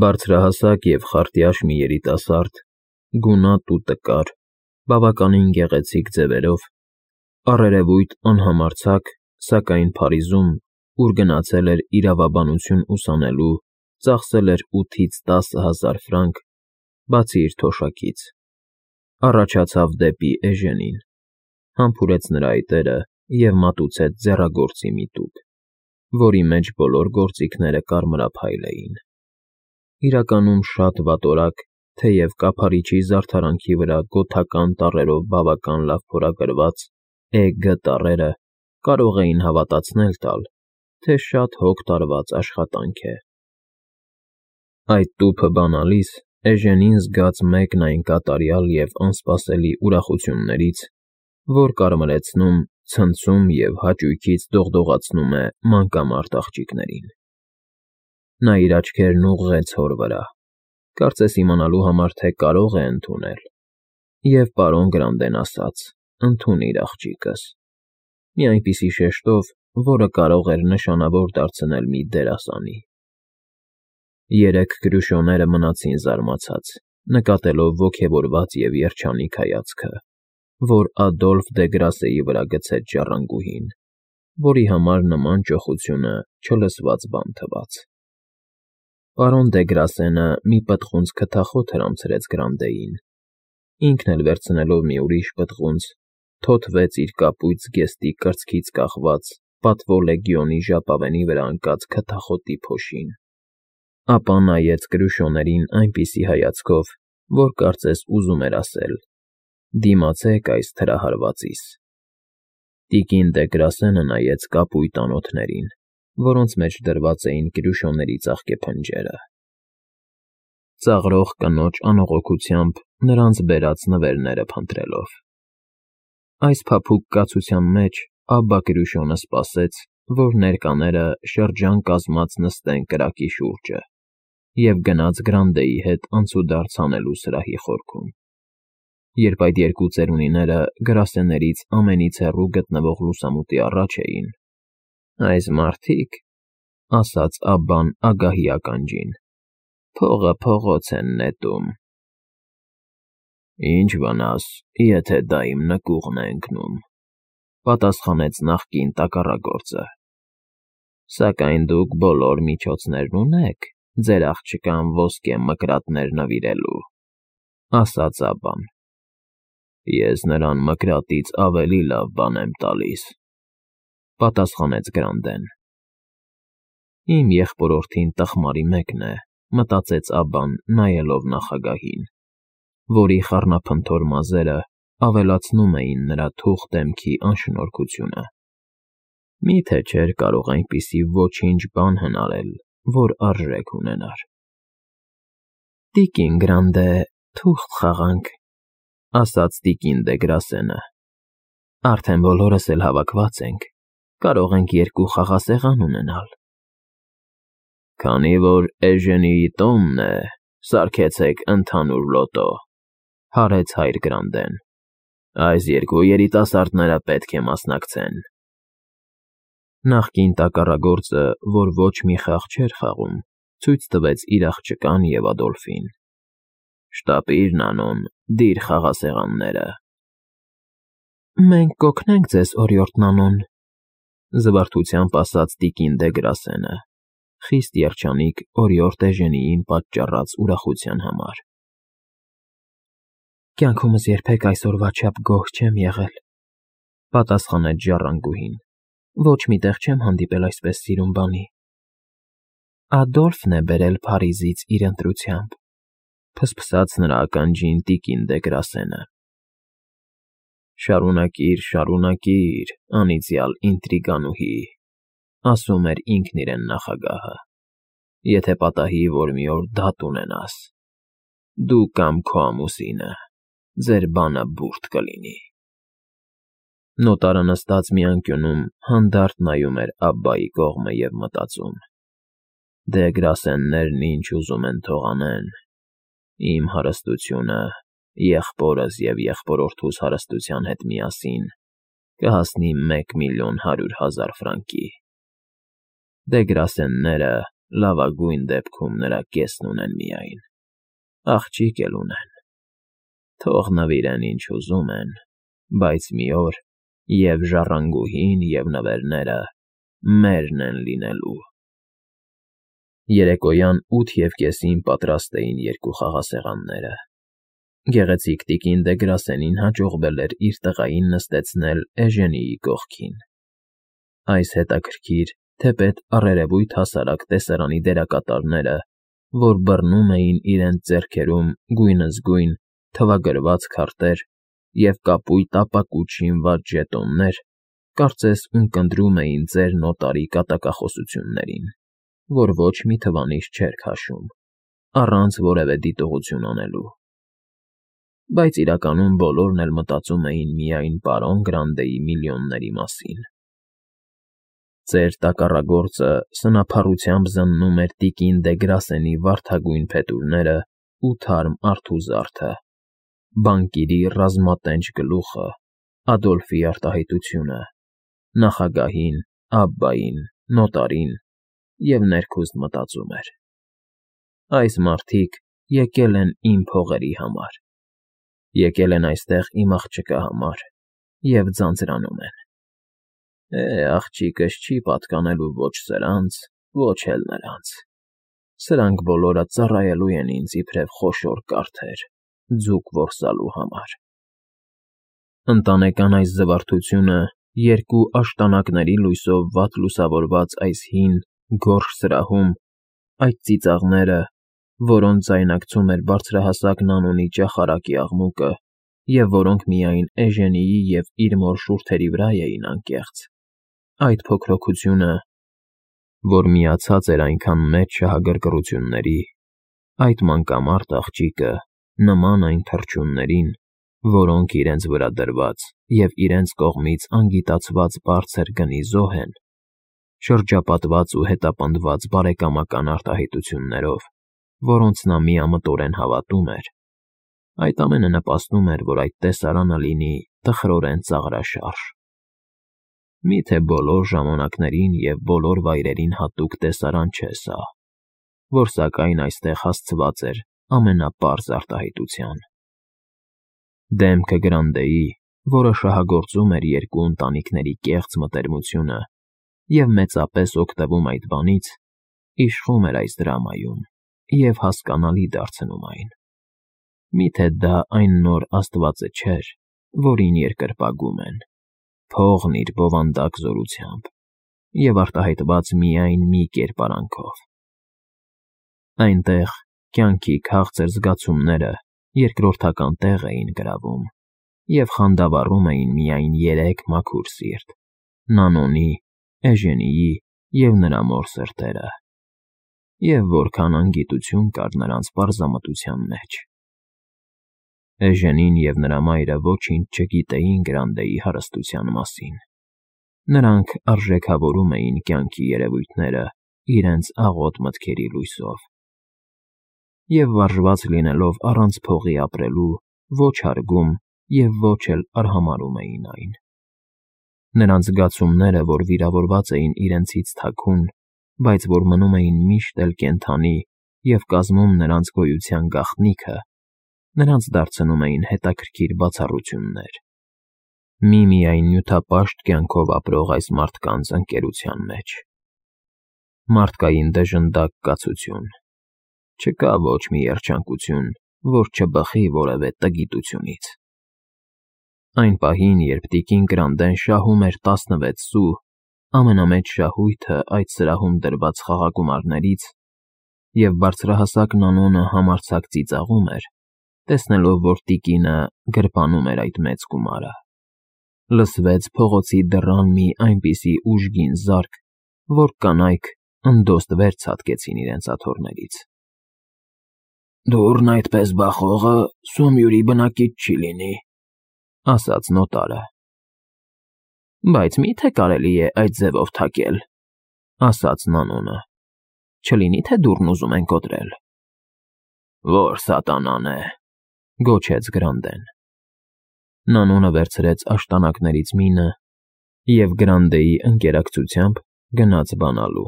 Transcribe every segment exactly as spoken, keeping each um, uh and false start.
Բարձրահասակ և խարտյաշ մի երիտասարդ, գունատ ու տկար, բավականին գեղեցիկ ձևերով, առերևույթ անհամարձակ, սակայն Փարիզում, ուր գնացել էր իրավաբանություն ուսանելու, ծախսել էր ութից տասը հազար ֆրանկ, բացի իր թոշակից, առաջացավ դեպի Էժենին, համբուրեց նրա այտերը և մատուցեց ձեռագործի մի տուփ, որի մեջ բոլոր գործիքները կարմրափայլ էին. իրականում շատ վատորակ, թեև կափարիչի զարդարանքի վրա գոթական տառերով բավական լավ փորագրված Է Գ տառերը կարող էին հավատացնել տալ, թե շատ հոգ տարված աշխատանք է։ Այդ տուփը բանալիս Էժենին զգաց մեկն այն կատարյալ և անսպասելի ուրախություններից, որ կարմրեցնում, ցնցում և հաճույքից դողդողացնում է մանկամարտ աղջիկներին։ Նա իր աչքերն ուղղեց հոր վրա, կարծես իմանալու համար, թե կարո՞ղ է ընդունել, և պարոն Գրանտեն ասաց. «Ընդունիր, աղջիկս», մի այնպիսի շեշտով, որը կարող էր նշանավոր դարձնել մի դերասանի։ Երեք կրուշոները մնացին զարմացած, նկատելով ոգևորված և երջանիկ հայացքը, որ Ադոլֆ դե Գրասեի վրա գցեց ժառանգուհին, որի համար նման ճոխությունը չլսված բան թվաց։ Պարոն դե Գրասենը մի պտղունց քթախոտ հրամցրեց Գրանտեին, ինքն էլ վերցնելով մի ուրիշ պտղունց, թոթվեց իր կապույտ զգեստի կրծքից կախված պատվո լեգիոնի ժապավենի վրա ընկած քթախոտի փոշին, ապա նայեց կրուշոներին այնպիսի հայացքով, որ կարծես ուզում էր ասել. «Դիմացեք այս թրահարվածիս»։ Տիկին դե Գրասենը նայեց կապույտ անոթներին, որոնց մեջ դրված էին կրուշոների ծաղկե փնջերը։ Ծաղրող կնոջ անողոքությամբ նրանց բերած նվերները փնտրելով։ Այս փափուկ կացության մեջ Աբբա Կրուշոն սպասեց, որ ներկաները շրջան կազմած նստեն կրակի շուրջը և գնաց Գրանտեի հետ անցուդարձ անելու սրահի խորքում։ Երբ այդ երկու ծերունիները գրասեններից ամենից հեռու գտնվող լուսամուտի առաջ էին. «Այս մարդիկ,֊ ասաց Աբբան ագահի ականջին,֊ փողը փողոց են նետում»։ «Ինչ վնաս, եթե դա իմ նկուղն է ընկնում,֊ պատասխանեց նախկին տակառագործը,֊ սակայն դուք բոլոր միջոցներն ունեք ձեր աղջկան ոսկե մկրատներ նվիրելու», ասաց Աբբան։ «Ես նրան մկրատից ավելի լավ բան եմ տալիս,֊ պատասխանեց Գրանտեն։ «Իմ եղբորորդին տխմարի մեկն է», մտածեց Աբբան, նայելով նախագահին, որի խառնափնթոր մազերը ավելացնում էին նրա թուխ դեմքի անշնորհքությունը։ Մի՞թե չէր կարող այնպիսի ոչինչ բան հնարել, որ արժեք ունենար։ «Տիկին Գրանտե, թուղթ խաղանք,֊ ասաց տիկին դե Գրասենը,֊ արդեն բոլորս էլ հավաքված ենք, կարող ենք երկու խաղասեղան ունենալ»։ «Քանի որ Էժենիի տոնն է, սարքեցեք ընդհանուր լոտո,֊ հարեց հայր Գրանտեն,֊ այս երկու երիտասարդները պետք է մասնակցեն»։ Նախկին տակառագործը, որ ոչ մի խաղ չէր խաղում, ցույց տվեց իր աղջկան և Ադոլֆին։ «Շտապիր, Նանոն, դիր խաղասեղանները»։ «Մենք կօգնենք ձեզ, օրիորդ Նանոն,֊ զվարթությամբ ասաց տիկին դե Գրասենը, խիստ երջանիկ օրիորդ Էժենիին պատճառած ուրախության համար։ «Կյանքումս երբեք այսօրվա չափ գոհ չեմ եղել,֊ պատասխանեց ժառանգուհին,֊ ոչ մի տեղ չեմ հանդիպել այսպես սիրուն բանի։ Ադոլֆն է բերել Փարիզից իր ընտրությամբ,֊ ֆսֆսաց նրա ականջին տիկին դե Գրասենը։ «Շարունակիր, շարունակիր, անիծյալ ինտրիգանուհի,֊ ասում էր ինքն իրեն նախագահը,֊ եթե պատահի, որ մի օր դատ ունենաս, դու կամ քո ամուսինը, ձեր բանը բուրդ կլինի»։ Նոտարը նստած մի անկյունում հանդարտ նայում էր Աբբայի կողմը և մտածում. «Դե Գրասեններն ինչ ուզում են թող անեն, իմ հարստությունը, եղբորս և եղբորորդուս հարստության հետ միասին կհասնի մեկ միլիոն հարյուր հազար ֆրանկի։ Դե Գրասենները լավագույն դեպքում նրա կեսն ունեն միայն, աղջիկ էլ ունեն, թող նվիրեն ինչ ուզում են, բայց մի օր և ժառանգուհին, և նվերները մերն են լինելու։ Երեկոյան ութ և կեսին պատրաստ էին երկու խաղասեղանները։ Գեղեցիկ տիկին Դեգրասենին հաջողվել էր իր տղային նստեցնել Էժենիի կողքին։ Այս հետաքրքիր, թեպետ առերևույթ հասարակ տեսարանի դերակատարները, որ բռնում էին իրենց ձեռքերում գույնզգույն, թվագրված քարտեր և կապույտ ապակուճ շինված ժետոններ, կարծես ունկնդրում էին ծեր նոտարի կատակախոսություններին, որ ոչ մի թվանիշ չէր քաշում, առանց որևէ դիտողություն անելու։ Բայց իրականում բոլորն էլ մտածում էին միայն պարոն Գրանդեի միլիոնների մասին։ Ծեր տակառագործը սնափառությամբ զննում էր տիկին Դեգրասենի վարդագույն փետուրներն ու թարմ արթուզարդը, բանկիրի ռազմատենչ գլուխը, Ադոլֆի արտահայտությունը, նախագահին, Աբբային, նոտարին և ներքուստ մտածում էր. այս մարդիկ եկել են իմ փողերի համար, եկել են այստեղ իմ աղջկա համար և ձանձրանում են։ Է, աղջիկս չի պատկանելու ոչ սրանց, ոչ էլ նրանց, սրանք բոլորը ծառայելու են ինձ իբրև խոշոր կարդեր, ձուկ որսալու համար։ Ընտանեկան այս զվարթությունը երկու աշտանակների լույսով վատ լուսավորված այս հին, գորշ սրահում, այդ ծիծաղները, որոնց ձայնարկում էր բարձրահասակ Նանոնի ճախարակի աղմուկը և որոնք միայն Էժենիի և իր մոր շուրթերի վրա էին անկեղծ, այդ փոքրոքությունը, որ միացած էր այնքան մեծ շահագրգռությունների, այդ մանկամարտ աղջիկը, նման այն թռչուններին, որոնք իրենց վրա դրված և իրենց կողմից անգիտացված բարձր գնի զոհ են, շրջապատված ու հետապնդված բարեկամական արտահայտություններով, որոնց նա միամտորեն հավատում էր, այդ ամենը նպաստում էր, որ այդ տեսարանը լինի տխրորեն ծաղրաշարժ։ Միթե բոլոր ժամանակներին և բոլոր վայրերին հատուկ տեսարան չէ սա, որ սակայն այստեղ հասցված էր ամենապարզ արտահայտության։ Դեմքը Գրանդեի, որը շահագործում էր երկու ընտանիքների կեղծ մտերմությունը և մեծապես օգտվում այդ բանից, իշխում էր այս դրամայում և հասկանալի դարձնում այն։ Միթե դա այն նոր աստվածը չէր, որին երկրպագում են, փողն իր բովանդակ զորությամբ և արտահայտված միայն մի կերպարանքով։ Այնտեղ կյանքի քաղցր զգացումները երկրորդական տեղ էին գրավում և խանդավառում էին միայն երեք մաքուր սիրտ՝ Նանոնի, Էժենիի և նրա մոր սրտերը, և որքան անգիտություն կար նրանց պարզամտության մեջ։ Էժենին և նրա մայրը ոչինչ չգիտեին Գրանդեի հարստության մասին, նրանք արժեքավորում էին կյանքի երևույթները իրենց աղոտ մտքերի լույսով, և վարժված լինելով առանց փողի ապրելու, ոչ հարգում և ոչ էլ արհամարհում էին այն։ Նրանց զգացումները, որ վիրավորված էին իրենցից թաքուն, բայց որ մնում էին միշտ էլ կենդանի և կազմում նրանց գոյության գաղտնիքը, նրանց դարձնում էին հետաքրքիր բացառություններ, միմիայն նյութապաշտ կյանքով ապրող այս մարդկանց ընկերության մեջ։ Մարդկային դժնդակ կացություն, չկա ոչ մի երջանկություն, որ չբխի որևէ տգիտությունից։ Այն պահին, երբ տիկին Գրանդեն շահում էր տասնվեց սու, ամենամեծ շահույթը այդ սրահում դրված խաղագումարներից, և բարձրահասակ Նանոնը համարձակ ծիծաղում էր, տեսնելով, որ տիկինը գրպանում էր այդ մեծ գումարը, լսվեց փողոցի դռան մի այնպիսի ուժգին զարկ, որ կանայք ընդոստ վեր ցատկեցին իրենց աթոռներից։ «Դուռն այդպես բախողը Սոմյուրի բնակիչ չի լինի», ֊ ասաց նոտարը։ «Բայց մի՞թե կարելի է այդ ձևով թակել», ֊ ասաց Նանոնը։ «Չլինի՞ թե դուռն ուզում են կոտրել»։ «Ո՞ր սատանան է», ֊ գոչեց Գրանդեն։ Նանոնը վերցրեց աշտանակներից մինը և Գրանդեի ընկերակցությամբ գնաց բանալու։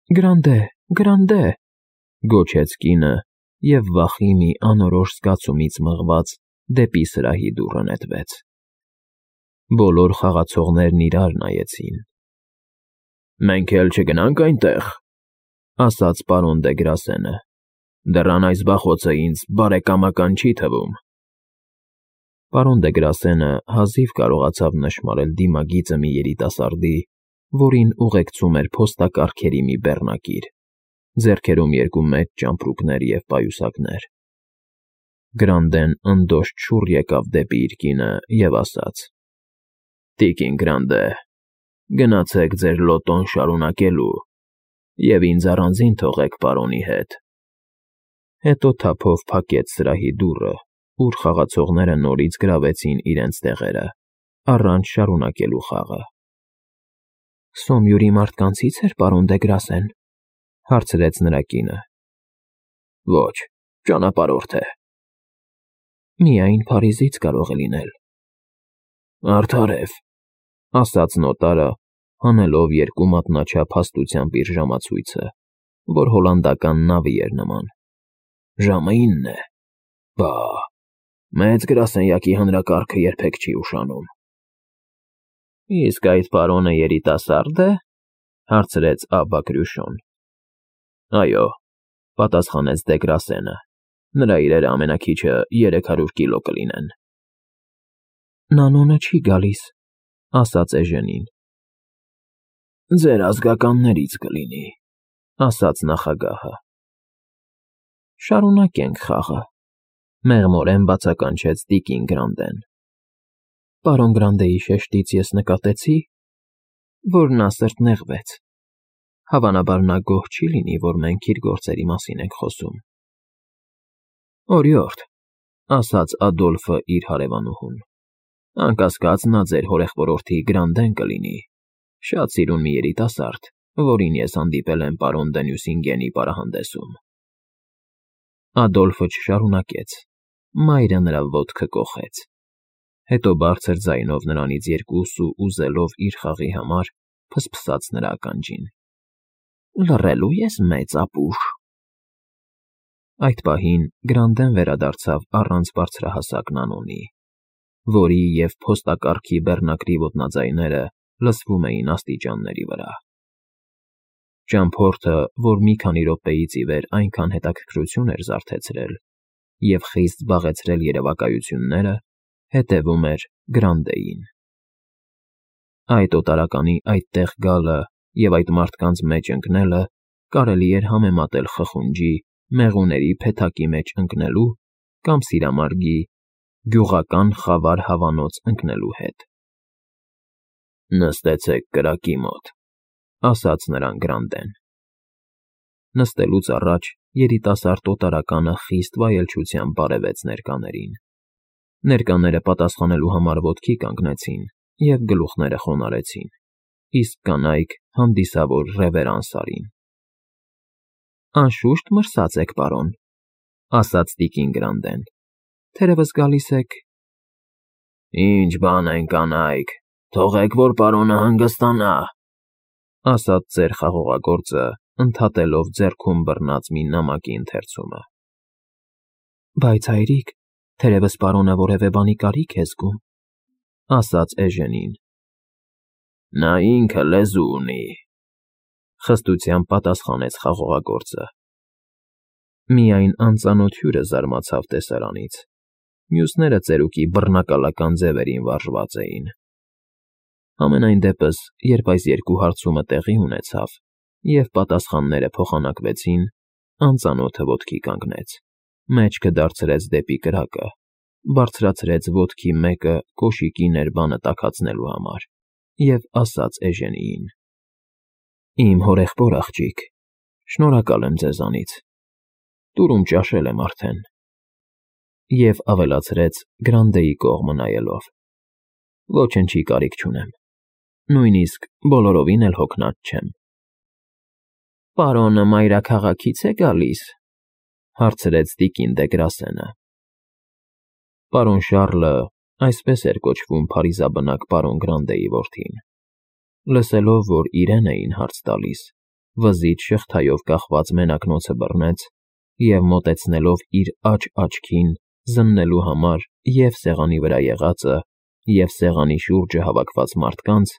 Գրանդե, Գրանդե, գոչեց կինը և վախի մի անորոշ զգացումից մղված դեպի սրահի դուռը նետվեց։ Բոլոր խաղացողներն իրար նայեցին։ Մենք էլ չգնա՞նք այնտեղ,֊ ասաց պարոն Դեգրասենը։ Դռան այս բախոցը ինձ բարեկամական չի թվում։ Պարոն Դեգրասենը հազիվ կարողացավ նշմարել դիմագիծը մի երիտասարդի, որին ուղեկցում էր փոստակառքերի մի բեռնակիր, ձեռքերում երկու մեծ ճամպրուկներ և պայուսակներ։ Գրանդեն ընդոշտ շուռ եկավ դեպի իր կինը և ասաց. «Տիկին Գրանդե, գնացեք ձեր լոտոն շարունակելու և ինձ առանձին թողեք պարոնի հետ»։ Հետո թափով փակեց սրահի դուռը, ուր խաղացողները նորից գրավեցին իրենց տեղերը, առանց շարունակելու խաղը։ «Սոմյուրի մարդկանցի՞ց էր, պարոն Դեգրասեն,֊ հարցրեց նրա կինը։ Ոչ, ճանապարհորդ է։ Միայն Փարիզից կարող է լինել։ Արդարև, ասաց նոտարը, հանելով երկու մատնաչափ հաստությամբ իր ժամացույցը, որ հոլանդական նավի էր նման։ Ժամը ինն է։ Բա, մեծ գրասենյակի հանրակարգը երբեք չի ուշանում։ Իսկ այդ պարոնը երիտասարդ է,֊ հարցրեց Աբա Կրյուշոն։ Այո,֊ պատասխանեց Դեգրասենը, նրա իրերը ամենաքիչը երեք հարյուր կիլո կլինեն։ Նանոնը չի գալիս,֊ ասաց Էժենին։ Ձեր ազգականներից կլինի,֊ ասաց նախագահը։ Շարունակենք խաղը,֊ մեղմորեն բացականչեց տիկին Գրանդեն։ Պարոն Գրանդեի շեշտից ես նկատեցի, որ նա սրտնեղվեց։ Հավանաբար նա գոհ չի լինի, որ մենք իր գործերի մասին ենք խոսում։ Օրիորդ,֊ ասաց Ադոլֆը իր հարևանուհուն,֊ անկասկած նա ձեր հորեղբորորդի Գրանդեն կլինի, շատ սիրուն մի երիտասարդ, որին ես հանդիպել եմ պարոն դը Նյուսինգենի պարահանդեսում։ Ադոլֆը չշարունակեց, մայրը նրա ոտքը կոխեց։ Հետո բարձր ձայնով նրանից երկու սու ուզելով իր խաղի համար, փսփսաց նրա ականջին։ Լռելու ես, մեծ ապուշ։ Այդ պահին Գրանդեն վերադարձավ առանց բարձրահասակ Նանոնի, որի և փոստակառքի բեռնակրի ոտնաձայները լսվում էին աստիճանների վրա։ Ճամփորդը, որ մի քանի րոպեից ի վեր այնքան հետաքրքրություն էր զարթեցրել և խիստ զբաղեցրել երևակայությունները, հետևում էր Գրանդեին։ Այդ օտարականի այդտեղ գալը և այդ մարդկանց մեջ ընկնելը կարելի էր համեմատել խխունջի, մեղուների փեթակի մեջ ընկնելու կամ սիրամարգի, գյուղական խավար հավանոց ընկնելու հետ։ Նստեցեք կրակի մոտ,֊ ասաց նրան Գրանդեն։ Նստելուց առաջ երիտասարդ օտարականը խիստ վայելչությամբ բարևեց ներկաներին։ Ներկաները պատասխանելու համար ոտքի կանգնեցին և գլուխները խոնարհեցին, իսկ կանայք հանդիսավոր ռևերանս արին։ Անշուշտ մրսած եք, պարոն,֊ ասաց տիկին Գրանդեն, թերևս գալիս եք… Ինչ բան են կանայք, թողեք, որ պարոնը հանգստանա,֊ ասաց ծեր խաղողագործը, ընդհատելով ձեռքում բռնած մի նամակի ընթերցումը։ Բայց հայրիկ, թերևս պարոնը որևէ բանի կարիք է զգում,֊ ասաց Էժենին։ Նա ինքը լեզու ունի,֊ խստությամբ պատասխանեց խաղողագործը։ Միայն անծանոթ հյուրը զարմացավ տեսարանից, մյուսները ծերուկի բռնակալական ձևերին վարժված էին։ Համենայն դեպս, երբ այս երկու հարցումը տեղի ունեցավ և պատասխանները փոխանակվեցին, անծանոթը ոտքի կանգնեց, մեջքը դարձրեց դեպի կրակը, բարձրացրեց ոտքի մեկը կոշիկի ներբանը տաքացնելու համար և ասաց Էժենիին. Իմ հորեղբոր աղջիկ, շնորհակալ եմ ձեզանից, տուրում ճաշել եմ արդեն, և ավելացրեց Գրանդեի կողմը նայելով. Ոչնչի կարիք չունեմ, նույնիսկ բոլորովին էլ հոգնած չեմ։ Պարոնը մայրաքաղաքի՞ց է գալիս,֊ հարցրեց տիկին Դեգրասենը։ Պարոն Շառլը, այսպես էր կոչվում փարիզաբնակ պարոն Գրանդեի որդին, լսելով, որ իրեն էին հարց տալիս, վզից շղթայով կախված մենակնոցը բռնեց և, մոտեցնելով իր աջ աչքին զննելու համար և՛ սեղանի վրա եղածը, և՛ սեղանի շուրջը հավաքված մարդկանց,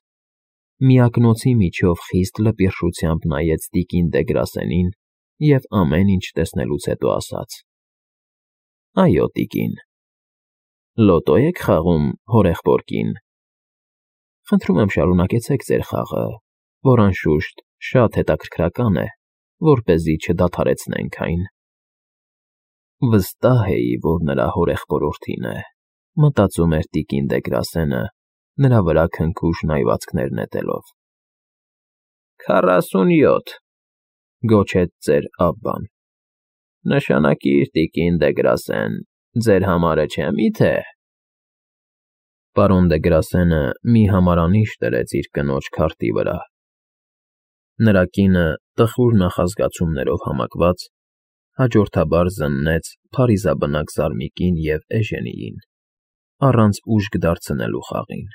միակնոցի միջով խիստ լպիրշությամբ նայեց տիկին Դեգրասենին և ամեն ինչ տեսնելուց հետո ասաց. ֊ Այո, տիկին, լոտո՞ եք խաղում հորեղբոր կին։ Խնդրում եմ, շարունակեցեք ձեր խաղը, որ, անշուշտ, շատ հետաքրքրական է, որպեսզի չդադարեցնենք այն։ Վստահ էի, որ նրա հորեղբորորդին է, մտածում էր տիկին Դեգրասենը, նրա վրա քնքուշ նայվածքներ նետելով։ ֊ Քառասունյոթ,֊ գոչեց ծեր Աբբան։ ֊ Նշանակիր, տիկին Դեգրասեն, ձեր համարը չէ՞ միթե։ Պարոն Դեգրասենը մի համարանիշ դրեց իր կնոջ քարտի վրա։ Նրա կինը, տխուր նախազգացումներով համակված, հաջորդաբար զննեց փարիզաբնակ Զարմիկին և Էժենիին, առանց ուժգ դարձնելու խաղին։